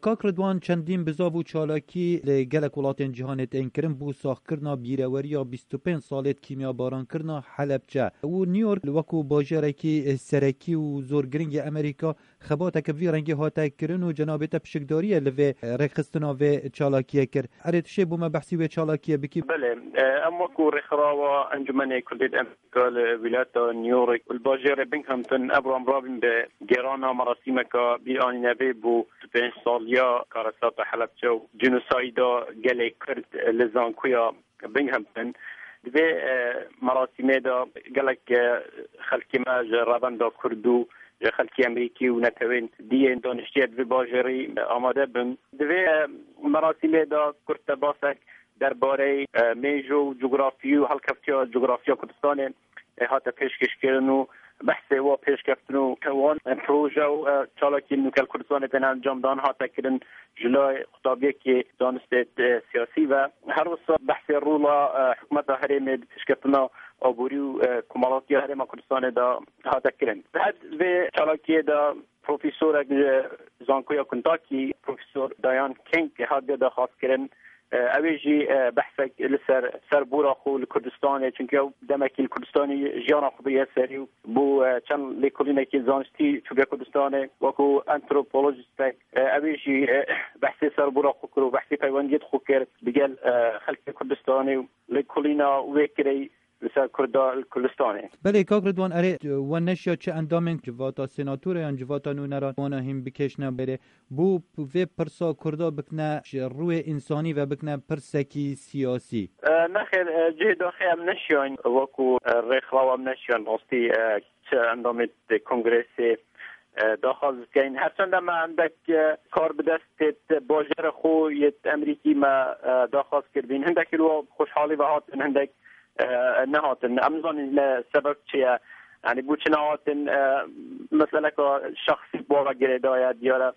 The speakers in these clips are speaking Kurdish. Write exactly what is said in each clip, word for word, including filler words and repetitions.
Kak Ridwan, çendîn bizav û çalakî li gelek welatên cîhanê tên kirin bo saxkirina bîreweriya bîst û pênc salê kîmyabaran kirina Helebçe û New York wekû bajarekî serekî û zor girîng yê Amerîka xebateke vî rengî hate kirin û cenabê te pişikdariyê li vê rêkxistina vê çalakiyê kir. Erê, tu şê bo me behsî wê çalakiyê bikî? Belê, e, em wekû rêxirawa Encûmenê Kurdên Amerîka li wîlayeta New York û li bajêrê Binghamton, ev ram rabîn bi gêrana merasîmeka bîranînevê bo pênc saliya karesata Helebçe û cinosayda gelê Kurd li zankoya Binghamton. Di vê, e, merasîmê de gelek, e, xelkê me ji revenda Kurd û ji xelkê Amerîkî û netewên dî yên daniştiye di vê bajêrî, e, amade bûn. Di vê, e, merasîmê de kurtebasek derbarey, e, mêjo û cografî û helkeftiya cografiya Kurdistanê, e, hate pêşkêşkirin û behsê wa pêşkeftin û wan, e, proje û, e, çalakiyên nûke li Kurdistanê tên encamdan hate kirin ji lay qutabiyekê zanistê, e, siyasî ve. Her wisa behsê rola, e, hikûmeta herêmê di pêşketina aborî û, e, komelatiya herêma Kurdistanê de hate kirin. Di hev vê çalakiyê de profesorek ji zankoya Kentucky, Profesor Diane King hatiye daxwazkirin. E, ew ê jî, e, behsek li ser serbûra xwe li Kurdistanê, çunke ew demekî li Kurdistanê jiyana xwe biriye serî û bû, e, çend lêkolînekî zanistî çûke Kurdistanê, wekû antropolojistek, e, ew ê jî, e, behsê serbûra xwe kir û behsê peywendiyê xwe kir digel, e, xelkê Kurdistanê û lêkolîna wê kirê li ser Kurda li Kurdistanê. Belê, kak Ridwan, erê, we neşiya çi endamên civata sênatorê yan civata nûneran wana hîn bikêşine berê, bo vê pirsa Kurda bikine ji rûyê însanî ve bikine pirsekî siyasî? E, nexêr, e, cihê daxê em neşiyan, wekû, e, rêxirawa em neşiyan rastî, e, çi endamê kongreyê, e, daxwaz bikeyn. Herçend em hindek, e, kar bi dest têt bajêrê xwe yêt Amerîkî me, e, daxwaz kirbîn. Hindek li we xweşhalî ve hatin, hindek, e, nehatin. Em nizanin ne sebeb çi ye. Yanî bo çi nehatin, e, meseleka şexsî bo ve girêdaye, diyar e,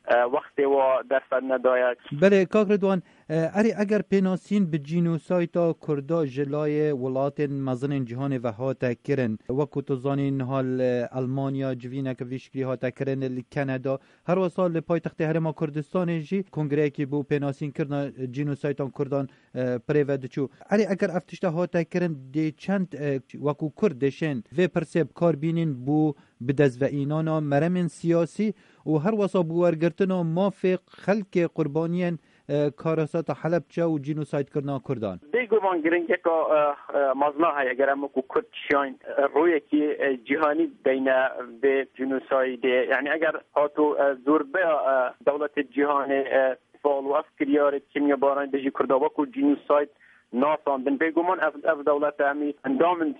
e, wextê wa derfet nedaye. Belê, kak Ridwan, e, erê eger pênasîn bi cînosayta Kurda ji layê welatên mezinên cîhanê ve hate kirin, wekû tu zanî niha li Elmanya civîneke vî şiklî hate kirin, li Kanada, her wesa li paytextê Herêma Kurdistanê jî kongreyekî bo pênasînkirina cînosaytan Kurdan, e, bi rê ve diçû. Erê eger ev tişta hate kirin, dê çend, e, wekû Kurd dê şên vê pirsê bi kar bînin bo bi dest ve înana meremên siyasî û her wesa bi wergirtina mafê xelkê qurbaniyên, e, karesata Helebçe û cînosaydkirina Kurdan. Bêguman giringiyeka, e, e, mezin a heye, eger em wekû Kurd şiyayîn, e, rûyekî, e, cîhanî deyne vê cînosaydê. Yanî eger hatû, e, zorbeya, e, dewletê cîhanê, e, fal û ev kiryarê kîmyabaranî dijî Kurda wekû cînosayd nasandin. Bêguman ev, ev dewlete em ê endamên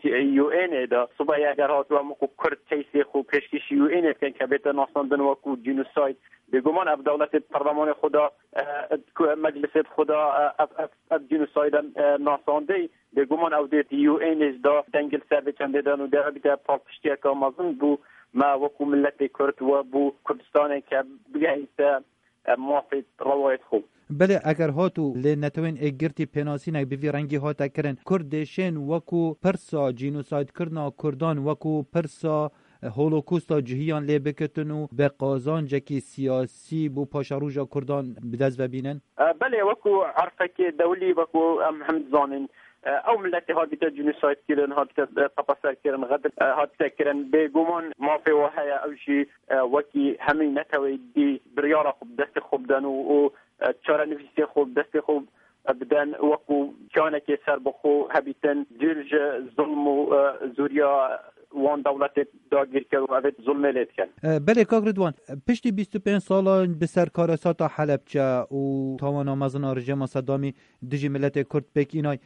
U N ê de. Sibê eger hatû em wekû Kurd keysê xwe pêşkêşî U N ê bikin ke bête nasandin wekû cînosayd. Bêguman ev dewletê di perlemanê xwe de, e, ku meclisê xwe de, e, ev, ev, ev cînosayd e, nasandê. Bêguman ew dê di U N ê de dengê li ser vê çendê dan û dê bîte palpiştiyeke mezin bo me wekû miletê Kurd we bo Kurdistanê ke bigehîte e, mafê rewayet xwe. Belê, eger hat û lê netewên êkgirtî pênasînek bi vî rengî hate kirin, Kurd dê şên wekû pirsa cînosaydkirina Kurdan, wekû pirsa, e, holokosta cihiyan lê bikitin û bi qazancekî siyasî bo paşeroja Kurdan bi dest ve bînin? E, belê, wekû erfekê dewlî, wekû em him dizanin, e, ew miletê hatbîte cînosayd kirin, hatbîte, e, tepeser kirin, xedr, e, hatbîte kirin. Bêguman mafê we heye, ew jî e, wekî hemî netewê dî biryara xwe bi destê xwe biden û, û, e, çarenivîsê xwe bi destê xwe, e, biden, wekû kiyanekê serbixwe hebîtin, dûr ji zulm û, e, zûriya wan dewletê dagîrker û evê zulmê lê dikin. E, belê, kak Ridwan, piştî bîst û pênc salan bi ser karesata Helebçe û tawana mezin a rejîma Sedamî dijî miletê Kurd pêk înay,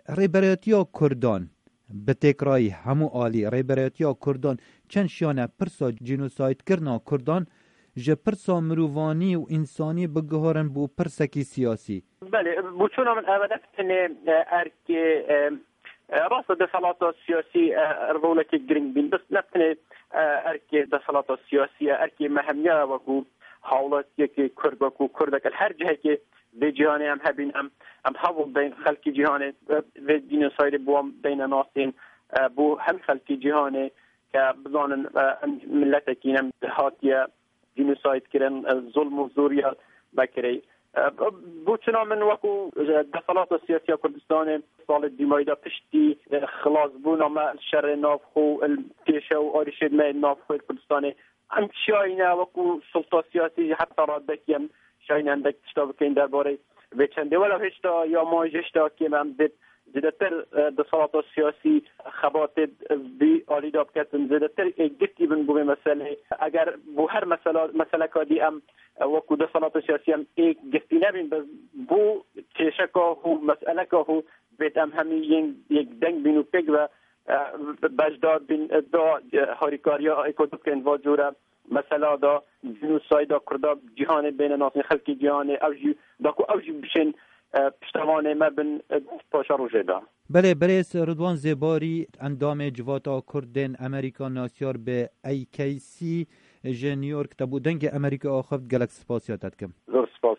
Rêberayetiya Kurdan, bi têkrayî hemû alî Rêberayetiya Kurdan çend şiyane pirsa cînosaydkirina Kurdan ji pirsa mirovanî û însanî biguherin bo pirsekî siyasî. Belê, boçûna min ev e, ne tenê, e, erkê, e, e, rast e, desthilata siyasî, e, rolekê giring bîn, bes ne tenê, e, erkê desthilata siyasî ye, erkê me hemiya ye wekû hawlatiyekê Kurd, wekû Kurdek li her cihekê vê cîhanê em hebîn, em, em hewl deyn xelkê cîhanê, e, vê cînosaydê bi wan deyne nasîn, e, bo hemî xelkê cîhanê ke bizanin, e, em miletekî ne em hatiye cînosayd kirin, e, zulm û zûriya Bekirê. E, bo çina min wekû, e, deselata siyasî ya Kurdistanê salê dîmayî de piştî, e, xilasbûna me li şerê navxwe, li kêşe û arîşê me navxwe li Kurdistanê, em şayîne wekû sulta siyasî jî heta radekî em şayîne endek tişta bikeyin derbarê vê çendê. Wela hêşta ya ma jî hêşta kêm em dê zêdetir, e, deselata siyasî xebatê bi alî de biketin, zêdetir êkgirtî bin bo vê meselê. Eger bo her mesela, meseleka dî em, e, wekû deselata siyasî em êkgirtî nebîn, bes bo kêşeka hû, meseleka hû bêt em hemî yên yek deng bîn û pêk ve, e, beşdar bîn, e, da, e, harîkariya êk û du bikeyin va cûre mesela da, cînosayda Kurda cîhanê bêne nasîn, xelkê cîhanê, ew jî da ku ew jî bişên, e, piştevanê me bin, e, paşa rojê de. Belê, birêz Ridwan Zêbarî, endamê Civata Kurdên Amerîka, nasyar bi A K C, ji New York te bû dengê Amerîka axivt, gelek spasiya te dikim. Zor spas.